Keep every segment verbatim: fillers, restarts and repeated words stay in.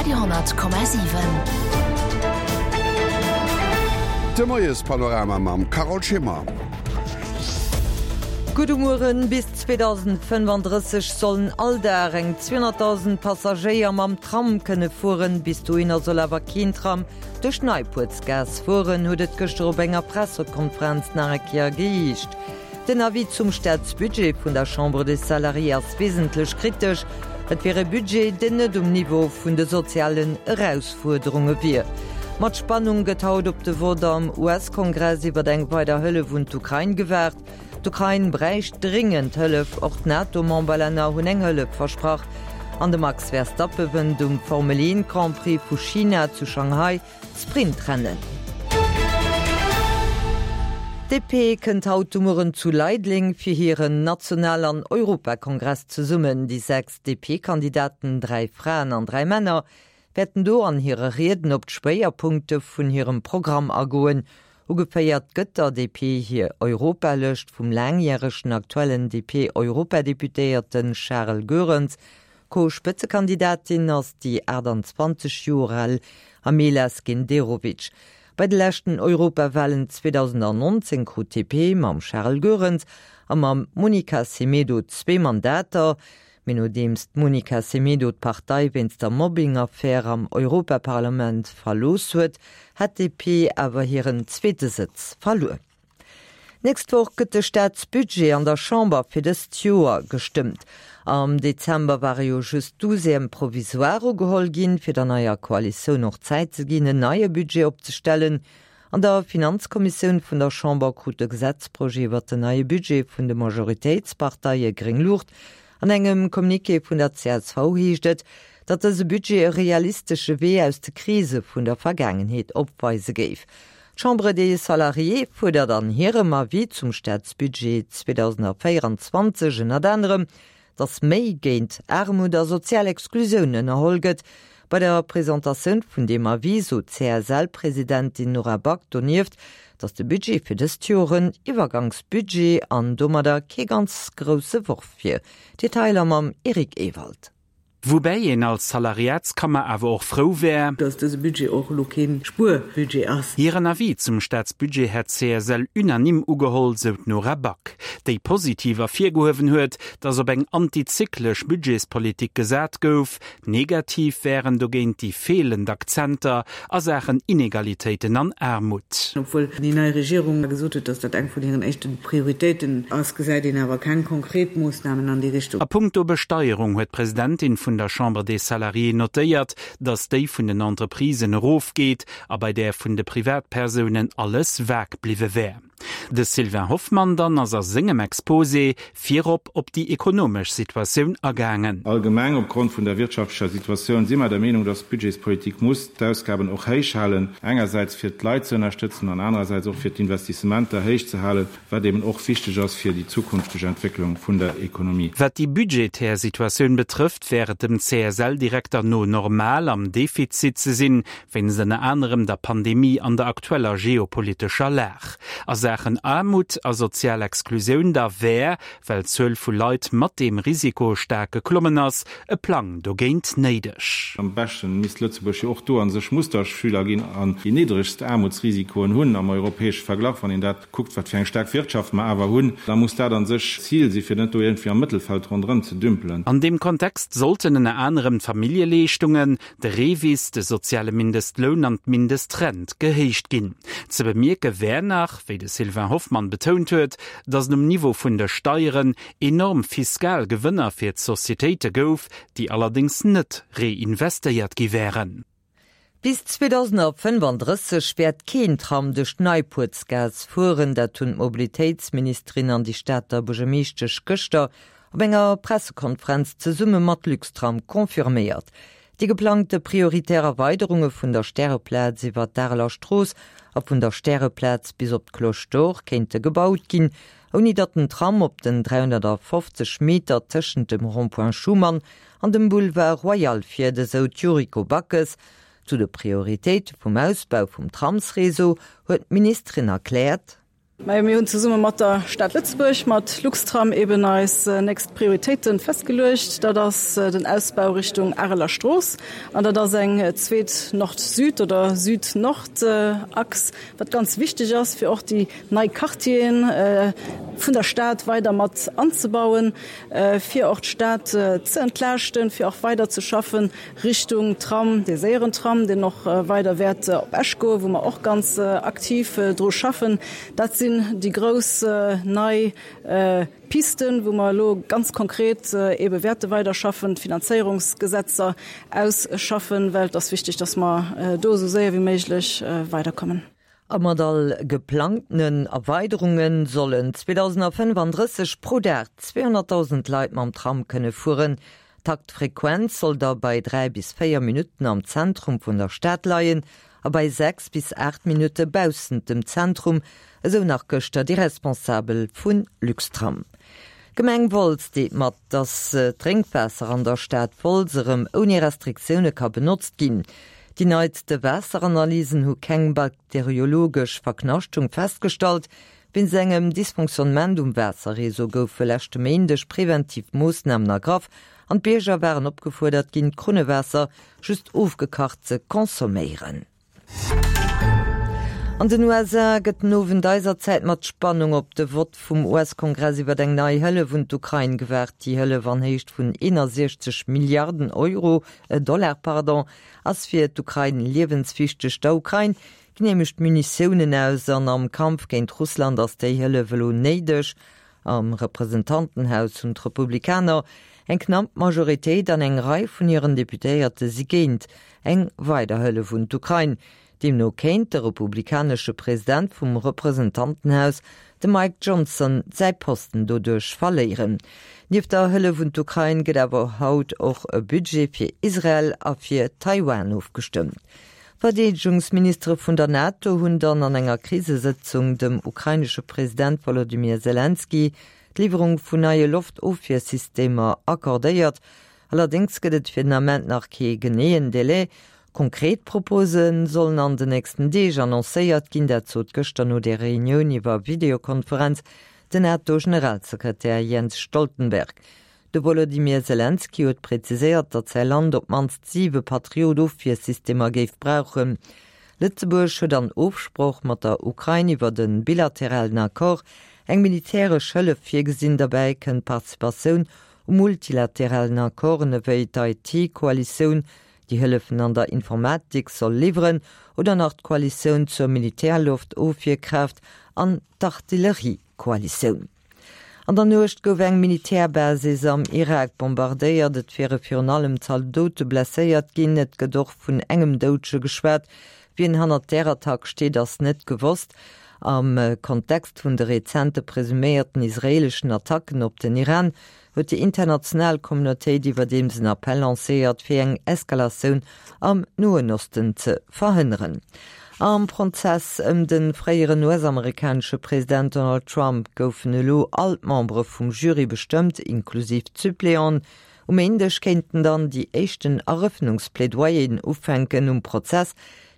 Radio honnert Komma siwen. De Moiespanorama mam Carole Schimmer. Gudde Mueren, Bis zweedausendfënnefandrësseg sollen all Dag eng zweehonnertdausend Passagéier mam Tram kënne fueren. Bis dohinner soll awer keen Tram duerch d'Neipuertsgaass fueren, huet et gëschter op enger Pressekonferenz nach eng Kéier geheescht. Den Avis zum Staatsbudget vun der Chambre des Salariés ass wesentlech kritesch. Et wier e Budget, deen net um Niveau vun de sozialen Erausfuerderunge wier. Mat Spannung gëtt haut op de Vott am U S-Kongress iwwer eng weider Hëllef un d'Ukrain gewaart. D'Ukrain bräicht dringend Hëllef, och d'NATO-Memberlänner hunn eng Hëllef versprach. An de Max Verstappen wënnt um Formel een Grand Prix vu China zu Shanghai d'Sprintrennen. D P kënnt haut de Mueren zu Leideleng fir hiren National an Europakongress zesummen. Déi sechs D P-Kandidaten, dräi Fraen an dräi Männer, wäerten do an hire Rieden op d'Schwéierpunkte vun hirem Programm agoen. Ugeféiert gëtt der D P hir Europalëscht vum laangjäregen aktuellen D P-Europadeputéierte Charles Goerens. Co-Spëtzekandidatin ass déi aachtanzwanzeg Joer al Amela Skenderovic. Bei de leschten Europawalen zweedausendnonzéng krut d'D P mam Charles Goerens a mam Monica Semedo zwee Mandater. Mee nodeems d'Monica Semedo d'Partei wéinst der Mobbing-Affär am Europaparlament verlooss huet, hat d'D P awer hiren zweete Sëtz verluer. D'nächst Woch gëtt de Staatsbudget an der Chamber fir dëst Joer gestëmmt. Am Dezember ware jo just Douzièmes provisoires ugeholl ginn, fir der neier Koalitioun och Zäit ze ginn, en neie Budget opzestellen. An der Finanzkommissioun vun der Chamber krut de Gesetzprojet iwwer den neie Budget vun de Majoritéitsparteie gréng Luucht. An engem Communiqué vun der C S V heescht et, datt dëse Budget e realistesche Wee aus de Krise vun der Vergaangenheet opweise géif. D'Chambre des Salariés fuerdert an hirem Avis zum Staatsbudget zweedausendvéierenzwanzeg ënnert anerem, datt méi géint Aarmut a sozial Exklusioun ënnerholl gëtt. Bei der Presentatioun vun deem Avis sot d'C S L-Presidentin Nora Back donieft, datt de Budget fir dëst Joer en Iwwergangsbudget an domadder kee ganz grousse Worf wier. Detailer mam Eric Ewald. Woubäi een als Salariatskammer awer och frou wär, dass dëse Budget och elo kee Spuerbudget ass. Hiren Avis zum Staatsbudget hätt d'C S L unanime ugeholl, sou d'Nora Back, déi positiv ervirgehuewen huet, datt op eng antizyklesch Budgetspolitik gesat gouf. Negativ wären dogéint déi feelend Akzenter a Saachen Inegalitéiten an Aarmut. Obwuel déi nei Regierung gesot huet, dass dat eng vun hiren éischte Prioritéiten ass, gesäit een awer keng konkret Moossnamen an déi Richtung. A punkto Besteierung huet d'Presidentin vun der Chambre des Salariés notéiert, datt déi vun den Entreprisen erofgeet a bei där vun de Privatpersounen alles vag bliwwe wär. De Sylvain Hoffmann dann ass a sengem Exposé virop op déi ekonomesch Situatioun agaangen. Allgemeng opgrond vun der wirtschaftlecher Situatioun si mer der Meenung, dass d'Budgetspolitik muss d'Ausgaben och héich halen, engersäits fir d'Leit ze ënnerstëtzen an anerersäits och fir d'Investissementer héich ze halen, wat eben och wichteg ass fir déi zukünfteg Entwécklung vun der Ekonomie. Wat déi budgetär Situatioun betrëfft, wär et dem C S L-Direkter no normal, am Defizit ze sinn, wéinst ënner anerem der Pandemie an der aktueller geopolitescher Lag. A Saachen Aarmut a sozial Exklusioun da wär, well d'Zuel vu Leit mat deem Risiko staark geklommen ass, e Plang dogéint néideg. Am beschten misst Lëtzebuerg jo och do a sech Musterschüler ginn an déi niddregst Aarmutsrisikoen hunn am europäesche Verglach. Wann een dat kuckt, wat fir eng staark Wirtschaft mer awer hunn, da muss dat a sech d'Zil si fir net do iergendwéi am Mëttelfeld ronderëm ze dümpelen. An deem Kontext sollten ënner anerem d'Familljeleeschtungen, de REVIS, de soziale Mindestloun an d'Mindestrent gehéicht ginn. Ze bemierke wär nach, wéi de Sylvain Hoffmann betount huet, datt um Niveau vun de Steieren enorm fiskal Gewënner fir d'Societéite gouf, déi allerdéngs net reinvestéiert gi wären. Bis zweedausendfënnefandrësseg wäert keen Tram duerch d'Neipuertsgaass fueren, dat hunn d'Mobilitéitsministerin an déi Stater Buergermeeschtesch gëschter op enger Pressekonferenz zesumme mat Luxtram confirméiert. Déi geplangte prioritär Erweiderunge vun der Stäreplaz iwwer d'Areler Strooss a vun der Stäreplaz bis op d'Cloche d'Or kéinte gebaut ginn, ouni datt den Tram op den dräihonnertfofzeg Meter tëschent dem Rond-point Schuman an dem Boulevard Royal fiert, esou d'Yuriko Backes. Zu de Prioritéite vum Ausbau vum Tramsreseau huet d'Ministerin erkläert: Majo, mir hunn zesumme mat der Stad Lëtzebuerg, mat Luxtram eben eis nächst Prioritéite festgeluecht. Dat ass den Ausbau Richtung Areler Strooss an dat ass eng zweet Nord-Süd oder Süd-Nord-Achs, wat ganz wichteg ass, fir och déi nei Quartieren vun der Stad weider mat anzebauen, fir och d'Stad ze entlaaschten, fir och weider ze schaffen Richtung Tram, dee séieren Tram, deen och weider wäert op Esch goen, wou mer och ganz aktiv dru schaffen. Dat sinn déi grouss nei Pisten, wou mer elo ganz konkret eebe wäerte weiderschaffen, d'Finanzéierungsgesetzer ausschaffen, well et ass wichteg, dass mer do esou séier wéi méiglech weiderkommen. A mat all geplangtenen Erweiderunge sollen zweedausendafënnefandrësseg pro Dag zweehonnertdausend Leit mam Tram kënne fueren. D'Taktfrequenz soll da bei dräi bis véier Minutten am Zentrum vun der Stad leien a bei sechs bis aacht Minutte baussent dem Zentrum, esou nach gëschter déi Responsabel vu Luxtram. D'Gemeng Wolz deelt mat, datt d'Drénkwaasser an der Stad Wolz erëm ouni Restriktioune ka benotzt ginn. Déi neitste Waasseranalysen hu keng bakteriologesch Verknaschtung festgestallt. Wéinst engem Dysfonctionnement um Waasserreseau goufe leschte Méindeg preventiv Moossnamen ergraff an d'Bierger waren opgefuerdert ginn, d'Krunnewaasser just ofgekacht ze consomméieren. An den U S A gëtt den Owend eiser Zäit mat Spannung op de Vott vum U S-Kongress iwwer eng nei Hëllef un d'Ukrain gewaart. Déi Hëllef an Héicht vun eenandsechzeg Milliarden Euro, Dollar, pardon, ass fir d'Ukrain liewenswichteg. Der Ukrain ginn nämlech d'Munitiounen aus an am Kampf géint Russland ass déi Hëllef elo néideg. Am Representantenhaus hunn d'Republikaner eng knapp Majoritéit an eng Rei vun hiren Deputéierte si géint eng weider Hëllef un d'Ukrain. Deemno kéint de republikanesche President vum Representantenhaus, de Mike Johnson, säi Posten doduerch verléieren. Nieft der Hëllef un d'Ukrain gëtt awer haut och e Budget fir Israel a fir Taiwan ofgestëmmt. D'Verdeedegungsministere vun der NATO hunn dann an enger Krisesëtzung dem ukrainesche President Wolodymyr Selenskyj d'Liwwerung vun neie Loftofwiersystemer accordéiert. Allerdéngs gëtt et fir den Ament nach kee geneeën Delai. Konkret Propose sollen an den nächsten Deeg annoncéiert ginn, dat sot gëschter no der Reunioun iwwer Videokonferenz den NATO-Generalsekretär Jens Stoltenberg. De Wolodymyr Selenskyj huet präziséiert, datt säi Land op d'mannst siwe Patriot-Ofwiersystemer géif brauchen. Lëtzebuerg huet an Ofsprooch mat der Ukrain iwwer de bilateralen Accord eng militäresch Hëllef virgesinn. Derbäi kënnt d'Participatioun u multilateralen Accorden ewéi d'I T-Koalitioun, déi Hëllefen an der Informatik soll liwweren, oder nach d'Koalitioun zur Militärloftofwierkraaft an d'Artilleriekoalitioun. An der Nuecht gouf eng Militärbasis am Irak bombardéiert. Et wiere virun allem Zaldote blesséiert ginn. Et gëtt och vun engem Doudege geschwat. Wien hannert där Attack steet, ass net gewosst. Am Kontext vun de rezente presuméierten israeeleschen Attacken op den Iran huet déi international Communautéit iwwerdeems en Appell lancéiert, fir eng Eskalatioun am Noen Osten ze verhënneren. Am Prozess ëm de fréieren U S-amerikanesche President Donald Trump goufen elo all d'Membere vum Jury bestëmmt, inklusiv d'Suppléanten. Um Méindeg kéinten dann déi éischten Erëffnungsplädoyeren ufänken. Um Prozess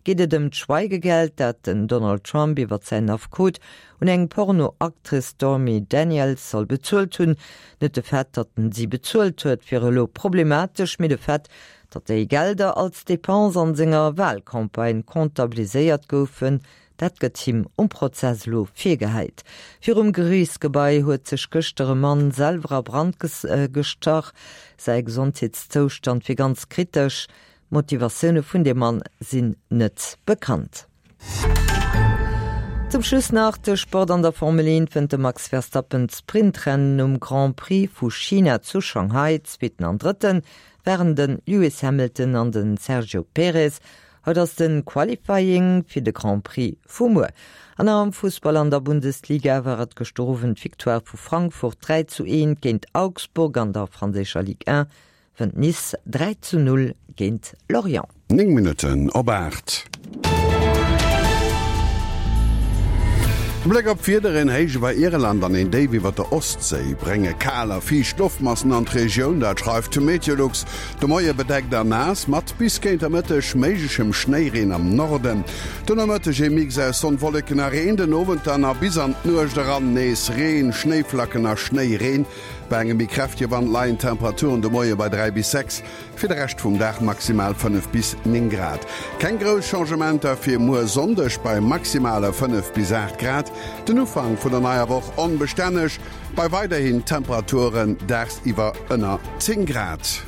geet et ëm d'Schweigegeld, dat den Donald Trump iwwer säin Affekot un eng Porno-Actrice Stormy Daniels soll bezuelt hunn. Net de Fait, datt en si bezuelt huet, wier elo problematesch, mee de Fait, datt déi Gelder als Depense an senger Walcampagne comptabiliséiert goufen, dat gëtt him um Prozess elo virgehäit. Virum Geriichtsgebai huet sech gëschter e Mann selwer a Brand gestach. Säi Gesondheetszoustand wier ganz kritesch. D'Motivatioune vun dem Mann sinn net bekannt. Zum Schluss nach de Sport. An der Formel eent wënnt de Max Verstappen d'Sprintrennen um Grand Prix vu China zu Shanghai. Zweeten an Drëtten waren de Lewis Hamilton an de Sergio Perez. Haut ass de Qualifying fir de Grand Prix vu muer. An am Fussball an der Bundesliga war et gëschter Owend d'Victoire vu Frankfurt dräi zu eent géint Augsburg. An der franséischer Ligue eent wënnt Nice dräi zu null géint Lorient. Néng Minutten op aacht. De Bléck op d'Wieder, Een Héich iwwer Irland an een Déif iwwer der Ostséi brénge kal a fiicht Loftmassen an d'Regioun, dat schreift Meteolux. De Moie bedeckt a naass, mat bis géint der Mëtteg méiglechem Schnéireen am Norden. De Nomëtteg ee Mix aus Sonn, Wolleken a Reen, den Owend dann a bis an d'Nuecht eran nees Reen, Schnéiflacken a Schnéireen. Bei engem méi kräftege Wand leien d'Temperaturen de Moie bei dräi bis sechs, fir de Rescht vum Dag maximal fënnef bis néng Grad. Keng grouss Changementer fir muer Sonndeg bei maximale fënnef bis aacht Grad. Den Ufank vun der neier Woch onbestänneg, bei weiderhin Temperaturen dagsiwwer ënner zéng Grad.